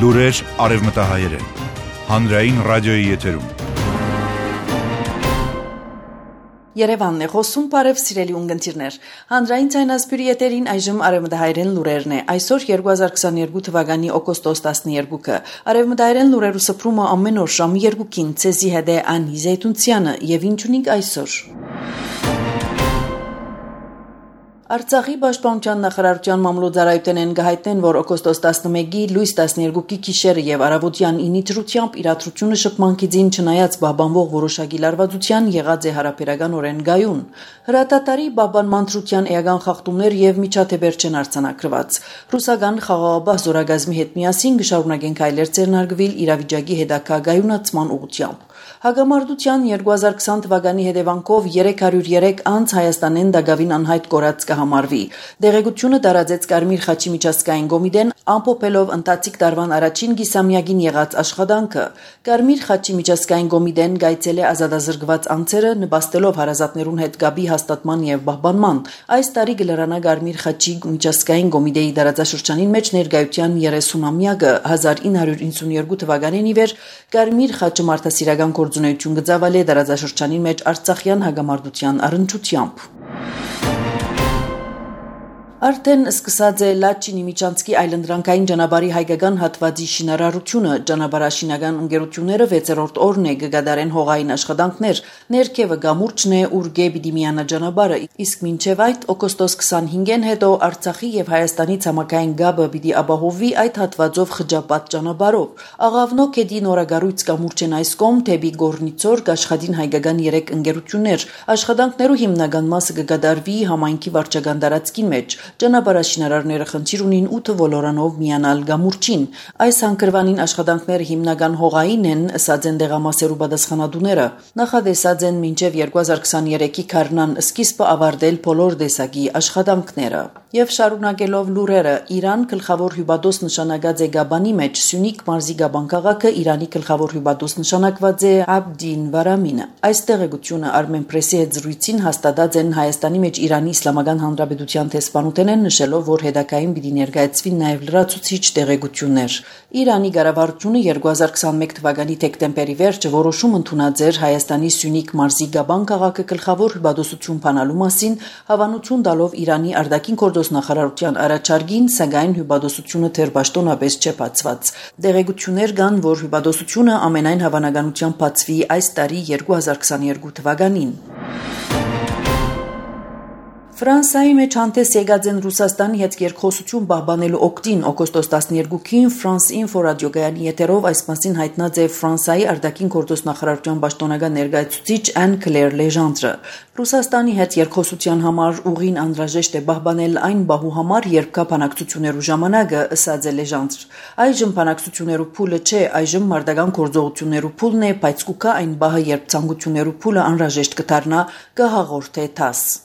Լուրեր արևմտահայերեն, հանրային ռադիոյի եթերում։ Երևանն է խոսում, բարև սիրելի ունգընտիրներ։ Հանրային ցայնասպյուրի եթերին այժմ արևմտահայերեն լուրերն է։ Այսօր 2022 թվականի օգոստոս 12-ը։ Արևմտահայերեն լուրերու սփռումը ամեն օր ժամը 2-ին ցեզի հետ է Անի Զեյթունցյանը եւ ինչունիկ այսօր։ Արցախի պաշտպանության նախարարության մամլոյցարայութենեն գահիտնեն, որ օգոստոս 11-ի լույս 12-ի գիշերը եւ առավոտյան 9-ի դրությամբ իրադրությունը շփման գիծին չնայած բաբանվող որոշակի լարվածության եղած է հարաբերական օրեն գայուն։ Հրատատարի բաբանման դրության էական խախտումներ եւ միջադեպեր չեն արձանագրված։ Ռուսական խաղաղապահ զորագազմի հետ միասին կշարունակեն քայլեր ձեռնարկվել իրավիճակի հետագա գայունացման ուղղությամբ։ Հագամարտության 2020 թվականի հետևանքով 303 անց Հայաստանեն դակավին անհայտ կորած կհամարվի։ Դեղեցությունը տարածեց Կարմիր խաչի միջազգային կոմիտեն, ամփոփելով ընթացիկ տարվան առաջին գիսամյակին եղած աշխատանքը։ Կարմիր խաչի միջազգային կոմիտեն գայցել է ազատազրկված անձերը, նպաստելով հարազատներուն հետ գաբի հաստատման եւ պահպանման։ Այս տարի գլրանա Կարմիր խաչի միջազգային կոմիտեի դարաձաշրջանին մեջ ներկայության 30-ամյակը 1992 թվականին ի վեր Կարմիր խաչը մարդասիրական գործունեություն գծավալ է դարաձաշրջանին մեջ Արցախյան հագամարտության առընչությամբ։ Արդեն սկսած է Լաչինի Միջանցքի այլընտրանքային ճանապարհի հայկական հատվածի շինարարությունը, ճանապարհաշինական ընկերությունները 6-րդ օրն է կգադարեն հողային աշխատանքներ, ներքևը գամուրջն է, ուր գեբիդի միանա ճանապարհը, իսկ մինչև այդ օգոստոս 25-ին հետո Արցախի եւ Հայաստանի ցամաքային գաբը պիտի ապահովվի այդ հատվածով խճապատ ճանապարհով։ Աղավնո քեդի նորագառույց կամուրջն այս կողմ թեպի Գորնիցոր կաշխատին հայկական 3 ընկերություններ, աշխատանքներու հիմնական մասը կգադարվի համայնքի վարչական տարածքին մեջ։ Ճանապարհաշինարարները խնդիր ունին 8 ոլորանով միանալ գամուրջին։ Այս հանգրվանին աշխատանքները հիմնական հողային են, ըսած են դեղամասերու պատասխանատուները։ Նախադեսած են մինչև 2023-ի քարնան սկիզբը ավարտել բոլոր տեսակի աշխատանքները։ Եվ շարունակելով լուրերը, Իրան գլխավոր հյուպատոս նշանակած է Գաբանի մեջ, Սյունիք մարզի Գաբան քաղաքը Իրանի գլխավոր հյուպատոս նշանակված է Աբդին Վարամինը։ Այս տեղեկությունը Armenpress-ի հետ զրույցին հաստատած են Հայաստանի մեջ Իրանի Իսլամական Հանրապետության տեսփանութենեն նշելով, որ հետագային պիտի ներկայացվին նաև լրացուցիչ տեղեկություններ։ Իրանի կառավարությունը 2021 թվականի դեկտեմբերի վերջը որոշում ընդունած էր Հայաստանի Սյունիք մարզի Գաբան քաղաքը գլխավոր հյուպատոսություն բանալու մասին, հավանություն տալով Իրանի արտաքին գործոս նախարարության առաջարկին, սակայն հյուպատոսությունը դեռ պաշտոնապես չէ բացված։ Տեղեկություններ կան, որ հյուպատոսությունը ամենայն հավանականությամբ բացվի այս տարի 2022 թվականին։ Ֆրանսիայի մեջ հանդես եկած են Ռուսաստանի հետ երկխոսություն պահպանելու օգտին օգոստոս 12-ին France Info ռադիոգայանի եթերով այս մասին հայտնած է Ֆրանսիայի արտաքին գործոս նախարարության պաշտոնական ներկայացուցիչ Anne-Claire Legendre։ Ռուսաստանի հետ երկխոսության համար ուղին անհրաժեշտ է պահպանել այն բահու համար, երբ կա բանակցություններու ժամանակը, ըսած է Legendre։ Այժմ բանակցություններու փուլը չէ, այժմ մարտական գործողություններու փուլն է, բայց կուքա այն բահը, երբ ցանկություններու փուլը անհրաժեշտ կդառնա, կհաղորդե ՏԱՍ։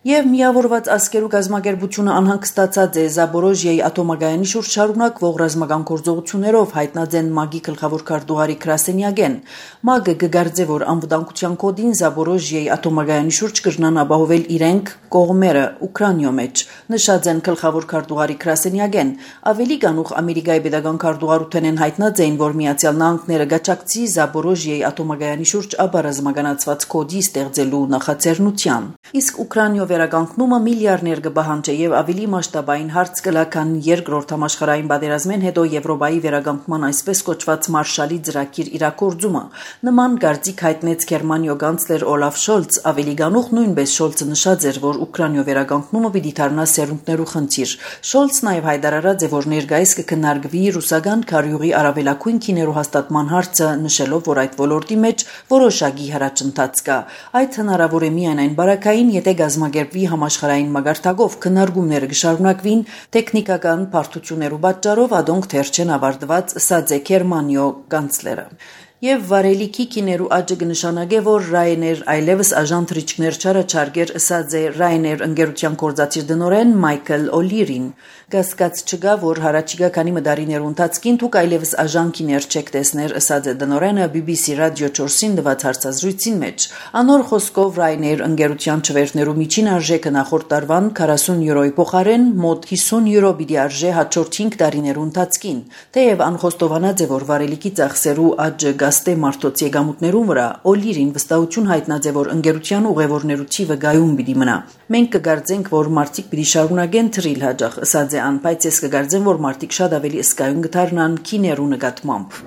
Եվ միավորված ազգերու գազམ་ակերպությունը անհանգստացած է Զապորոժիայի ատոմագայանի շուրջ շարունակվող ռազմական գործողություններով, հայտնած են ՄԱԳ-ի գլխավոր քարտուղարի Կրասենյագեն։ ՄԱԳ-ը կգարձե, որ անվտանգության կոդին Զապորոժիայի ատոմագայանի շուրջ կրնան ապահովել իրենք կողմերը Ուկրաինայո մեջ, նշած են գլխավոր քարտուղարի Կրասենյագեն։ Ավելի կանուխ Ամերիկայի պետական քարտուղարութենեն հայտնած էին, որ Միացյալ Նահանգները գաչակցի Զապորոժիայի ատոմագայանի շուրջ ապարազմականացված կոդի ստեղծելու նախաձեռնության։ Իսկ Ուկրաինայո վերականգնումը միլիարդներ կպահանջի եւ ավելի մասշտաբային հարց կլա, քան երկրորդ համաշխարհային պատերազմեն հետո Եվրոպայի վերականգնման այսպես կոչված Մարշալի ծրագիր իրագործումը։ Նման կարծիք հայտնեց Գերմանիո կանցլեր Օլաֆ Շոլց, ավելի կանուխ նույնպես Շոլցը նշած էր, որ Ուկրաինայո վերականգնումը պիտի դառնա սերունդներու խնդիր։ Շոլցը նաեւ հայտարարած է, որ ներկայիս կքննարկվի ռուսական քարյուղի արավելակույն քիներու հաստատման հարցը, նշելով, որ այդ ոլորտի մեջ որոշակի հրաչընթաց կա։ Այդ հնարավոր է միայն այն բարակային, եթե գազམ་ակերպվի համաշխարհային մագարտակով քննարկումները կշարունակվին տեխնիկական բարդություններու պատճառով, ադոնք դեռ չեն ավարտված, ըսած է Գերմանիո կանցլերը։ Եվ վարելիքի կիներու աճը կնշանակե, որ Ryanair այլևս աժան թրիչքներ չարաչարգեր, ըսած է Ryanair ընկերության գործադիր տնօրեն Մայքլ Օլիրին։ Կասկած չկա, որ հարաճիգա քանի մդարիներու ընթացքին դուք այլևս աժան կիներ չեք տեսներ, ըսած է տնօրենը BBC Radio 4-ին տված հարցազրույցին մեջ։ Անոր խոսքով Ryanair ընկերության չվերթներու միջին արժեքը նախորդ տարվան 40 եվրոյի փոխարեն մոտ 50 եվրո պիտի արժե հաջորդ 5 տարիներու ընթացքին։ Թեև անխոստովանած է, որ վարելիքի ծախսերու աճը գաստե մարդոց եկամուտներու վրա, Օլիրին վստահություն հայտնած է, որ ընկերության ուղևորներու թիվը գայուն պիտի մնա։ Մենք կգարձենք, որ մարդիկ պիտի շարունակեն թրիլ հաջող, ըսած է ան, բայց ես կգարձեմ, որ մարդիկ շատ ավելի ըսկայուն կդառնան կիներու նկատմամբ։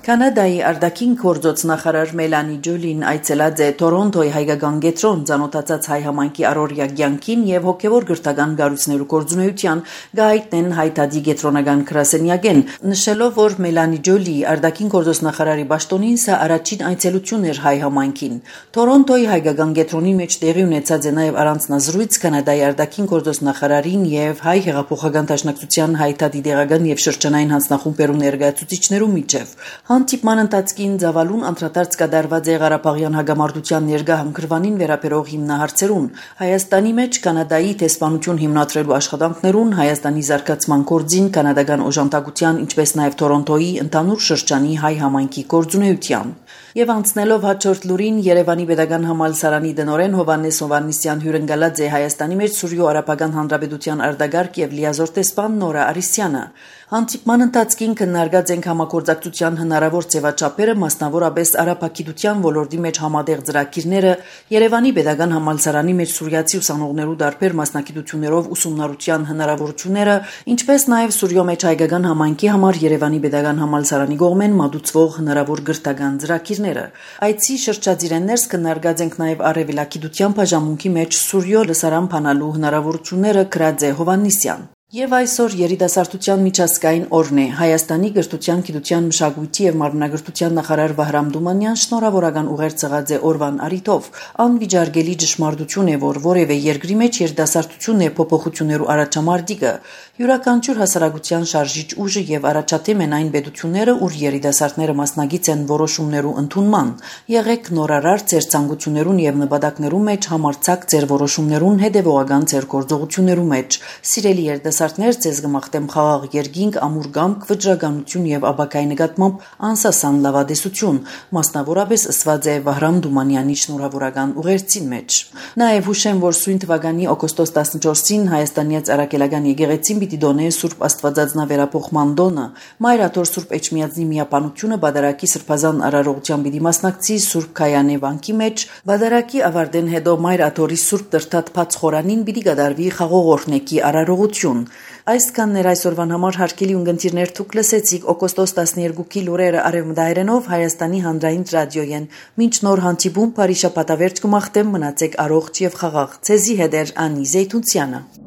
Կանադայի արտաքին գործոց նախարար Մելանի Ջոլին այցելած է Տորոնտոյի հայկական կենտրոն, ծանոթացած հայ համայնքի առօրյա կյանքին եւ հոգեվոր գրթական գառույցներու գործունեության գայտնեն հայտարարի կենտրոնական գրասենյակեն, նշելով, որ Մելանի Ջոլի արտաքին գործոց նախարարի պաշտոնին սա առաջին այցելությունն էր հայ համայնքին։ Տորոնտոյի հայկական կենտրոնի մեջ տեղի ունեցած է նաեւ առանձնազրույց Կանադայի արտաքին գործոց նախարարին եւ հայ հեղափոխական դաշնակցության հայտարարի դեղական եւ շրջանային հանձնախումբերու ներկայացուցիչներու միջև։ Հանդիպման ընթացքին ծավալուն անդրադարձ կատարված է Ղարաբաղյան հագամարտության ներկա հանգրվանին վերաբերող հիմնահարցերուն, Հայաստանի մեջ Կանադայի տեսփանություն հիմնադրելու աշխատանքներուն, Հայաստանի զարգացման գործին, կանադական օժանդակության, ինչպես նաև Տորոնտոյի ընդհանուր շրջանի հայ համայնքի գործունեության։ Եվ անցնելով հաջորդ լուրին Երևանի Պետական համալսարանի տնօրեն Հովհաննես Հովհաննիսյան հյուրընկալած է Հայաստանի մեջ Սուրյո Արաբական Հանրապետության արտագարկ եւ լիազոր տեսփան Նորա Արիսյանը։ Հանդիպման ընթացքին քննարկած ենք համագործակցության հնարավոր ձևաչափերը, մասնավորապես արաբագիտության ոլորտի մեջ համատեղ ծրագիրները, Երևանի Պետական համալսարանի մեջ սուրյացի ուսանողներու դարբեր մասնագիտություններով ուսումնառության հնարավորությունները, ինչպես նաև Սուրյո մեջ հայկական համայնքի համար Երևանի Պետական համալսարանի կողմեն մատուցվող հնարավոր գրթական ծրագիրները։ Այցի շրջադիրներս քննարկած ենք նաև արևելագիտության բաժանմունքի մեջ Սուրյո լսարան փանալու հնարավորությունները, գրած է Հովհաննիսյան։ Եվ այսօր երիտասարդության միջազգային օրն է։ Հայաստանի գրթության, գիտության, մշակույթի եւ մարմնագրթության նախարար Վահրամ Դումանյան շնորհավորական ուղերձ եղած է օրվան առիթով։ Անվիճարկելի ճշմարտություն է, որ որևէ երկրի մեջ երիտասարդությունն է փոփոխություններու առաջամարտիկը։ Յուրաքանչյուր հասարակության շարժիչ ուժը եւ առաջադեմ են այն պետությունները, ուր երիտասարդները մասնագիծ են որոշումներու ընդունման։ Եղեք նորարար ձեր ցանկություններուն եւ նպատակներու մեջ, համարձակ ձեր որոշումներուն հետեւողական ձեր գործողություններու մեջ։ Սիրելի երիտասարդներ, ձեզ կմաղթեմ խաղաղ երկինք, ամուր կամք, վճռականություն եւ ապակայի նկատմամբ անսասան լավադեսություն, մասնավորապես ըսված է Վահրամ Դումանյանի շնորհավորական ուղերձին մեջ։ Նաեւ հուշեմ, որ սույն թվականի օգոստոս 14-ին Հայաստանից Արաքելական եկեղեցին պիտի դոնե Սուրբ Աստվածածնավերապոխման տոնը, Մայր Աթոր Սուրբ Էջմիածնի միապանությունը Բադարակի Սրբազան արարողության պիտի մասնակցի Սուրբ Քայանե վանքի մեջ, Բադարակի ավարտեն հետո Մայր Աթորի Սուրբ Տրտատ Փած խորանին պիտի կատարվի խաղողորհնեկի արարողություն։ Այսքանն էր այսօրվան համար հարգելի ունգընտիրներ, դուք լսեցիք օգոստոս 12-ի լուրերը արևմտահայերենով Հայաստանի հանրային ռադիոյեն։ Մինչ նոր հանդիպում, բարի շաբաթավերջ կմաղթեմ, մնացեք առողջ եւ խաղաղ։ Ցեզի հետ էր Անի Զեյթունցյանը։